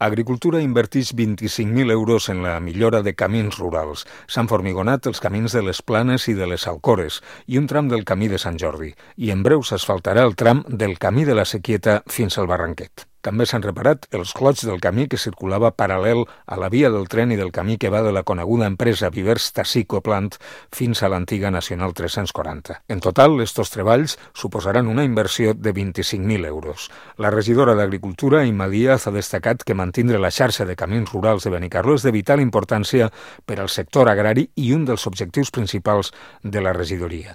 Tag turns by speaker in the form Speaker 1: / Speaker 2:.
Speaker 1: Agricultura inverteix 25.000 euros en la millora de camins rurals. S'han formigonat els camins de les Planes i de les Alcores i un tram del camí de Sant Jordi. I en breu s'asfaltarà el tram del camí de la Sequieta fins al Barranquet. També s'han reparat els clots del camí que circulava paral·lel a la via del tren i del camí que va de la coneguda empresa Vivers Tassico Plant fins a l'antiga Nacional 340. En total, estos treballs suposaran una inversió de 25.000 euros. La regidora d'Agricultura, Imma Díaz, ha destacat que mantindre la xarxa de camins rurals de Benicarló és de vital importància per al sector agrari i un dels objectius principals de la regidoria.